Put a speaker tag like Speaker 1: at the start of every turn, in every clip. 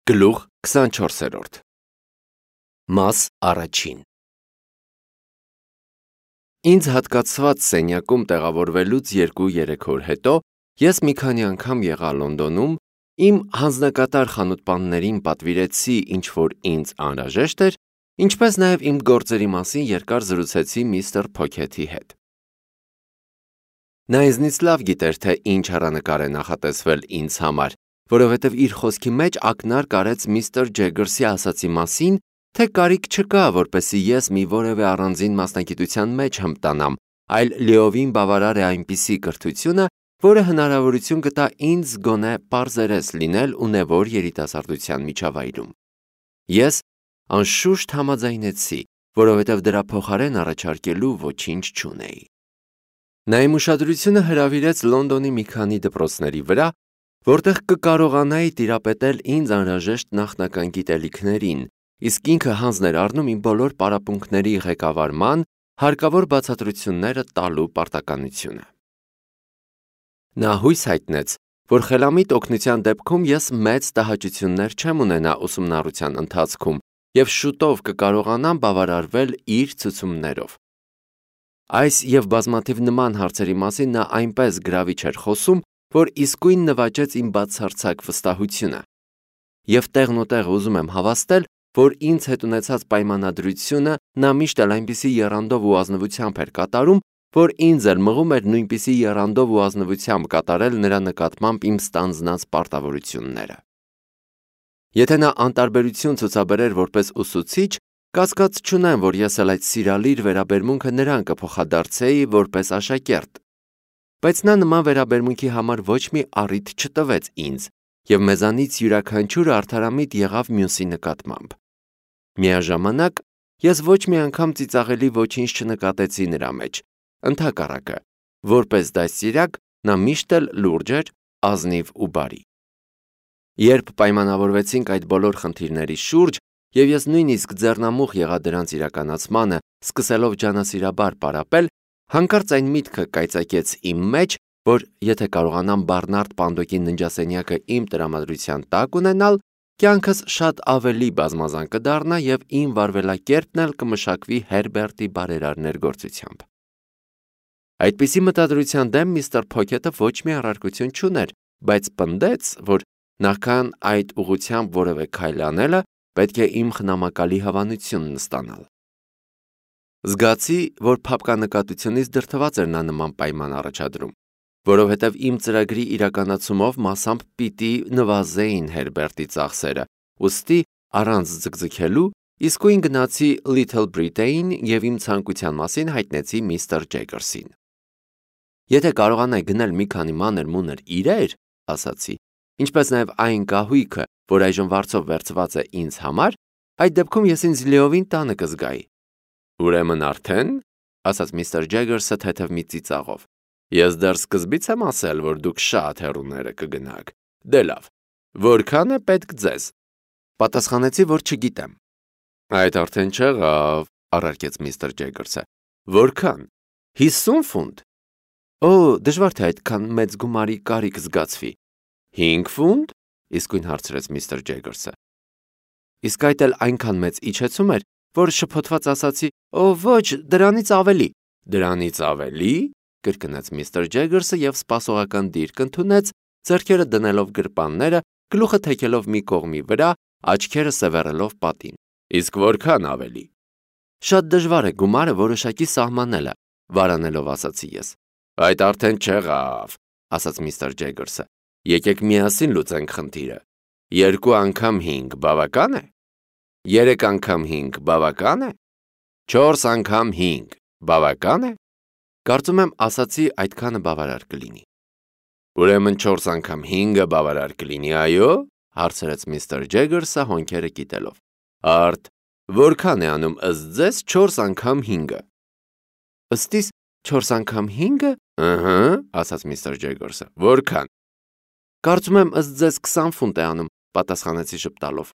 Speaker 1: Գլուխ 24 Մաս առաջին Ինձ հատկացված սենյակում տեղավորվելուց 2-3 օր հետո ես մի քանի անգամ եղա Լոնդոնում, իմ հանձնակատար խանութպաններին պատվիրեցի ինչ-որ ինձ անհրաժեշտ էր, ինչպես նաև իմ գործերի մասին երկար զրուցեցի միստր Փոքեթի հետ։ Նա ինձնից լավ գիտեր, թե ինչ հեռանկար է նախատեսվել ինձ համար, որովհետև իր խոսքի մեջ ակնարկ արեց միստր Ջեգերսի ասացի մասին, թե կարիք չկա, որպեսզի ես մի որևէ առանձին մասնագիտության մեջ հմտանամ, այլ լիովին բավարար է այնպիսի կրթությունը, որը հնարավորություն կտա ինձ գոնե պարզերես լինել ունևոր երիտասարդության միջավայրում։ Ես անշուշտ համաձայնեցի, որովհետև դրա փոխարեն առաջարկելու ոչինչ չունեի։ Նա իմ ուշադրությունը հրավիրեց Լոնդոնի մի քանի դպրոցների վրա, որտեղ կկարողանայի տիրապետել ինձ անհրաժեշտ նախնական գիտելիքներին, իսկ ինքը հանձն էր առնում իմ բոլոր պարապմունքների ղեկավարման, հարկավոր բացատրությունները տալու պարտականությունը։ Նա հույս հայտնեց, որ խելամիտ օգնության դեպքում ես մեծ տհաճություններ չեմ ունենա ուսումնառության ընթացքում և շուտով կկարողանամ բավարարվել իր ցուցումներով։ Այս և բազմաթիվ նման հարցերի մասին նա այնպես գրավիչ էր խոսում, որ իսկույն նվաճեց իմ բացարձակ վստահությունը։ Եվ տեղնուտեղ ուզում եմ հավաստել, որ ինձ հետ ունեցած պայմանադրությունը նա միշտ էլ այնպիսի եռանդով ու ազնվությամբ էր կատարում, որ ինձ էլ մղում էր նույնպիսի եռանդով ու ազնվությամբ կատարել նրա նկատմամբ իմ ստանձնած պարտավորությունները։ Եթե նա անտարբերություն ցուցաբերեր որպես ուսուցիչ, կասկած չունեմ, որ ես էլ այդ սիրալիր վերաբերմունքը նրան կփոխադարձեի որպես աշակերտ։ Բայց նա նման վերաբերմունքի համար ոչ մի առիթ չտվեց ինձ, և մեզանից յուրաքանչյուրը արդարամիտ եղավ մյուսի նկատմամբ։ Միաժամանակ ես ոչ մի անգամ ծիծաղելի ոչինչ չնկատեցի նրա մեջ, ընդհակառակը, որպես դաստիարակ նա միշտ էլ լուրջ էր, ազնիվ ու բարի։ Երբ պայմանավորվեցինք այդ բոլոր խնդիրների շուրջ, և ես նույնիսկ ձեռնամուխ եղա դրանց իրականացմանը, սկսելով ջանասիրաբար պարապել, հանկարծ այն միտքը կայծակեց իմ մեջ, որ եթե կարողանամ Բարնարդ Պանդոկի ննջասենյակը իմ տրամադրության տակ ունենալ, կյանքս շատ ավելի բազմազան կդառնա և իմ վարվելակերպն էլ կմշակվի Հերբերտի բարերար ներգործությամբ։ Այդպիսի մտադրության դեմ միստր Փոքեթը ոչ մի առարկություն չուներ, բայց պնդեց, որ նախքան այդ ուղղությամբ որևէ քայլ անելը, պետք է իմ խնամակալի հավանությունն ստանալ։ Զգացի, որ փափկանկատությունից դրդված էր նա նման պայման առաջադրում, որովհետև իմ ծրագրի իրականացումով մասամբ պիտի նվազեին Հերբերտի ծախսերը, ուստի առանց ձգձգելու իսկույն գնացի Little Britain և իմ ցանկության մասին հայտնեցի միստր Ջեգերսին։ Եթե կարողանայի գնել մի քանի մանր-մունր իրեր, ասացի, ինչպես նաև այն կահույքը, որ այժմ վարձով վերցված է ինձ համար, այդ դեպքում ես ինձ լիովին տանը կզգայի։ Ուրեմն արդեն, ասաց միստր Ջեգերսը թեթև մի ծիծաղով, ես դեռ սկզբից եմ ասել, որ դուք շատ հեռուները կգնաք։ Դե լավ, որքան է պետք ձեզ։ Պատասխանեցի, որ չգիտեմ։ Այդ արդեն չեղավ, առարկեց միստր Ջեգերսը։ Որքան։ 50 ֆունտ։ Օ, դժվար թե այդքան մեծ գումարի կարիք զգացվի։ 5 ֆունտ, իսկույն հարցրեց միստր Ջեգերսը։ Իսկ այդ էլ այնքան մեծ իջեցում էր, որ շփոթված ասացի. «Օ, ոչ, դրանից ավելի»։ Դրանից ավելի, կրկնեց միստր Ջեգերսը և սպասողական դիրք ընդունեց, ձեռքերը դնելով գրպանները, գլուխը թեքելով մի կողմի վրա, աչքերը սևեռելով պատին։ Իսկ որքան ավելի։ Շատ դժվար է գումարը որոշակի սահմանելը, վարանելով ասացի ես։ Այդ արդեն չեղավ, ասաց միստր Ջեգերսը։ Եկեք միասին լուծենք խնդիրը։ 2 անգամ 5 բավական է։ 3 անգամ 5 բավական է։ 4 անգամ 5 բավական է։ Կարծում եմ ասացի այդքանը բավարար կլինի։ Ուրեմն 4 անգամ 5-ը բավարար կլինի, այո, հարցրեց միստր Ջեգերսը հոնքերը կիտելով։ Արդ, որքան է անում ըստ ձեզ 4 անգամ 5-ը։ Ըստիս 4 անգամ 5-ը։ Ըհը, ասաց միստր Ջեգերսը։ Որքան։ Կարծում եմ ըստ ձեզ 20 ֆունտ է անում, պատասխանեցի ժպտալով։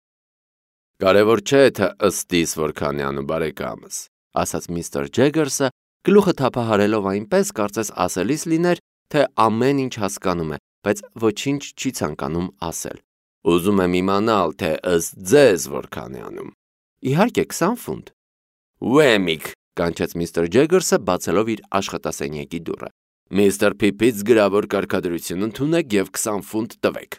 Speaker 1: Կարևոր չէ, թե ըստիս որքան է անում բարեկամս, ասաց միստր Ջեգերսը, գլուխը թափահարելով այնպես, կարծես ասելիս լիներ, թե ամեն ինչ հասկանում է, բայց ոչինչ չի ցանկանում ասել։ Ուզում եմ իմանալ, թե ըստ ձեզ որքան է անում։ Իհարկե 20 ֆունտ։ Ուեմիկ, կանչեց միստր Ջեգերսը, բացելով իր աշխատասենյակի դուռը։ Միստր Փիփից գրավոր կարգադրություն ընդունեք եւ 20 ֆունտ տվեք։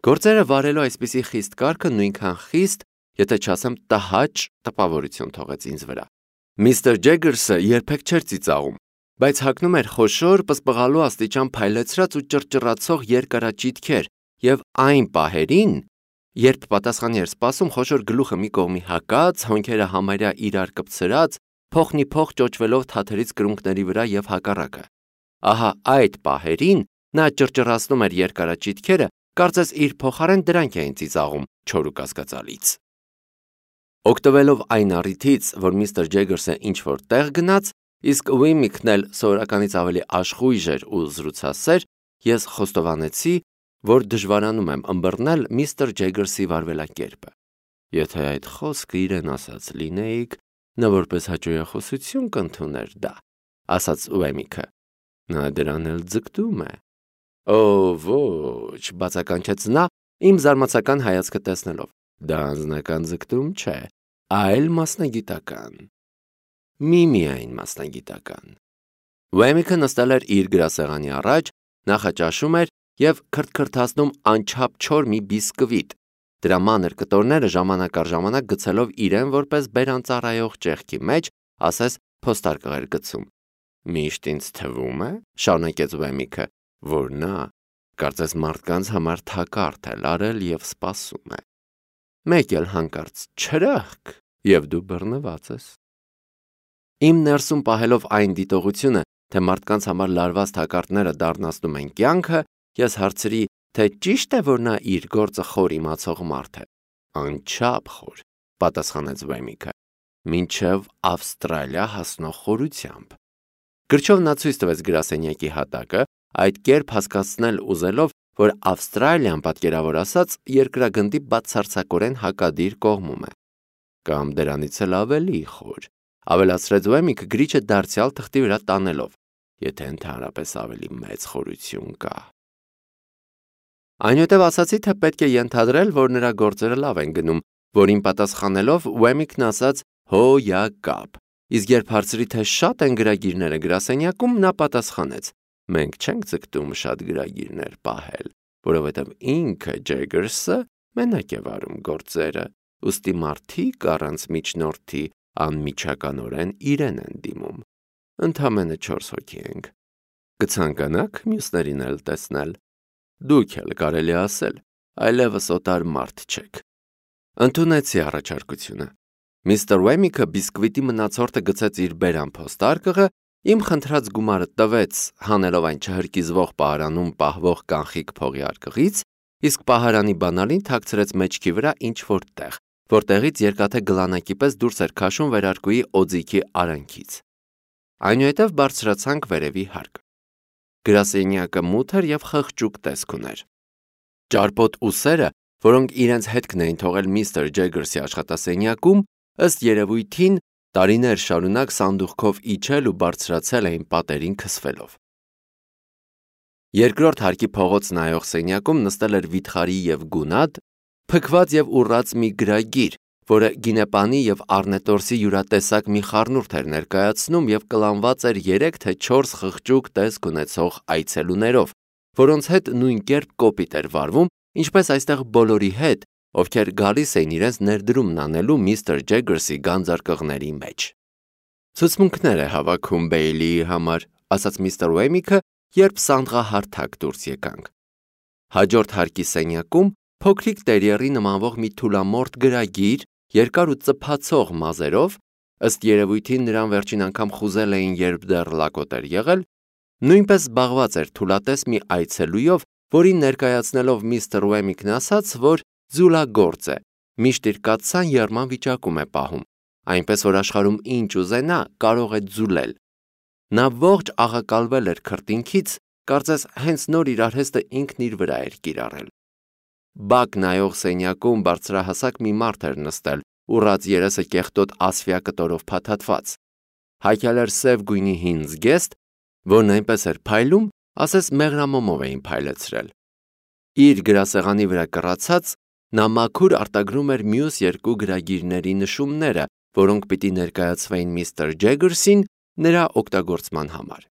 Speaker 1: Գործերը վարելու այսպիսի խիստ կարգը նույնքան խիստ, եթե չասեմ տհաճ տպավորություն թողեց ինձ վրա։ Միստր Ջեգերսը երբեք չէր ծիծաղում, բայց հագնում էր խոշոր, պսպղալու աստիճան փայլեցրած ու ճռճռացող երկարաճիթքեր, եւ այն պահերին, երբ պատասխանի էր սպասում, խոշոր գլուխը մի կողմի հակած, հոնքերը համարյա իրար կպցրած, փոխնի փոխ ճոճվելով թաթերից կրունկների վրա եւ հակառակը։ Ահա այդ պահերին նա ճռճռացնում էր երկարաճիթքերը, կարծես իր փոխարեն դրանք էին ծիծաղում չոր ու կասկածալից։ Օգտվելով այն առիթից, որ միստր Ջեգերսը ինչ-որ տեղ գնաց, իսկ Ուեմիկն էլ սովորականից ավելի աշխույժ էր ու զրուցասեր, ես խոստովանեցի, որ դժվարանում եմ ըմբռնել միստր Ջեգերսի վարվելակերպը։ Եթե այդ խոսքը իրեն ասած լինեիք, նա որպես հաճոյախոսություն կընդուներ դա, ասաց Ուեմիկը։ Նա դրան էլ ձգտում է։ Օ, ոչ, բացականչեց նա, իմ զարմացական հայացքը տեսնելով։ Դա անձնական ձգտում չէ, այլ մասնագիտական։ Միայն մասնագիտական։ Ուեմիկը նստել էր իր գրասեղանի առաջ, նախաճաշում էր եւ քրթքրթացնում անչափ չոր մի բիսկվիտ, դրա մանր կտորները ժամանակ առ ժամանակ գցելով իրեն որպես բերանծառայող ճեղքի մեջ, ասես փոստարկղ էր գցում։ Միշտ ինձ թվում է, շարունակեց Ուեմիկը, որ նա կարծես մարդկանց համար թակարդ է լարել եւ սպասում է։ Մեկ էլ հանկարծ չրախկ եւ դու բռնված ես։ Իմ ներսում պահելով այն դիտողությունը, թե մարդկանց համար լարված թակարդները դառնացնում են կյանքը, ես հարցրի, թե ճիշտ է, որ նա իր գործը խոր իմացող մարդ է։ Անչափ խոր, պատասխանեց Ուեմիկը, մինչև Ավստրալիա հասնող խորությամբ։ Գրչով նա ցույց տվեց գրասենյակի հատակը, այդ կերպ հասկացնել ուզելով, որ Ավստրալիան, պատկերավոր ասած, երկրագնդի բացարձակորեն հակադիր կողմում է։ Կամ դրանից էլ ավելի խոր, ավելացրեց Ուեմիկը գրիչը դարձյալ թղթի վրա տանելով, եթե ընդհանրապես ավելի մեծ խորություն կա։ Այնուհետև ասացի, թե պետք է ենթադրել, որ նրա գործերը լավ են գնում, որին պատասխանելով Ուեմիկն ասաց հո յա կապ, իսկ երբ հարցրի, թե շատ են գրագիրները գրասենյակում, նա պատասխանեց. մենք չենք ձգտում շատ գրագիրներ պահել, որովհետև ինքը Ջեգերսը մենակ է վարում գործերը, ուստի մարդիկ առանց միջնորդի անմիջականորեն իրեն են դիմում։ Ընդամենը 4 հոգի ենք։ Կցանկանաք մյուսներին էլ տեսնել։ Դուք էլ կարելի ասել, այլևս օտար մարդ չեք։ Ընդունեցի առաջարկությունը։ Միստր Ուեմիկը բիսկվիտի մնացորդը գցեց իր բերան փոստարկղը, իմ խնդրած գումարը տվեց, հանելով այն չհրկիզվող պահարանում պահվող կանխիկ փողի արկղից, իսկ պահարանի բանալին թաքցրեց մեջքի վրա ինչ-որ տեղ, որտեղից երկաթե գլանակի պես դուրս էր քաշում վերարկուի օձիքի արանքից։ Այնուհետև բարձրացանք վերևի հարկ։ Գրասենյակը մութ էր եւ խղճուկ տեսք ուներ։ Ճարպոտ ուսերը, որոնք իրենց հետքն էին թողել միստր Ջեգերսի աշխատասենյակում, ըստ երևույթին տարիներ շարունակ սանդուղքով իջել ու բարձրացել էին պատերին քսվելով։ Երկրորդ հարկի փողոց նայող սենյակում նստել էր վիթխարի եւ գունատ, փքված եւ ուռած մի գրագիր, որը գինեպանի եւ առնետորսի յուրատեսակ մի խառնուրդ էր ներկայացնում եւ կլանված էր 3 թե 4 խղճուկ տեսք ունեցող այցելուներով, որոնց հետ նույն կերպ կոպիտ էր վարվում, ինչպես այստեղ բոլորի հետ, ովքեր գալիս էին իրենց ներդրումն անելու միստր Ջեգերսի գանձարկղների մեջ։ Ցուցմունքներ է հավաքում Բեյլիի համար, ասաց միստր Ուեմիկը, երբ սանդղահարթակ դուրս եկանք։ Հաջորդ հարկի սենյակում փոքրիկ տերիերի նմանվող մի թուլամորթ գրագիր, երկար ու ծփացող մազերով, ըստ երևույթին նրան վերջին անգամ խուզել էին, երբ դեռ լակոտ էր եղել, նույնպես զբաղված էր թուլատես մի այցելույով, որին ներկայացնելով միստր Ուեմիկն ասաց, որ ձուլագործ է, միշտ իր կաթսան եռման վիճակում է պահում, այնպես որ աշխարհում ինչ ուզենա կարող է ձուլել։ Նա ողջ աղակալվել էր քրտինքից, կարծես հենց նոր իր արհեստը ինքն իր վրա էր կիրառել։ Բակ նայող սենյակում բարձրահասակ մի մարդ էր նստել, ուռած երեսը կեղտոտ ասֆիա կտորով փաթաթված։ Հագել էր սև գույնի հին զգեստ, որն այնպես էր փայլում, ասես մեղրամոմով էին փայլեցրել։ Իր գրասեղանի վրա կռացած, նա մաքուր արտագրում էր մյուս երկու գրագիրների նշումները, որոնք պիտի ներկայացվեին միստր Ջեգերսին նրա օգտագործման համար։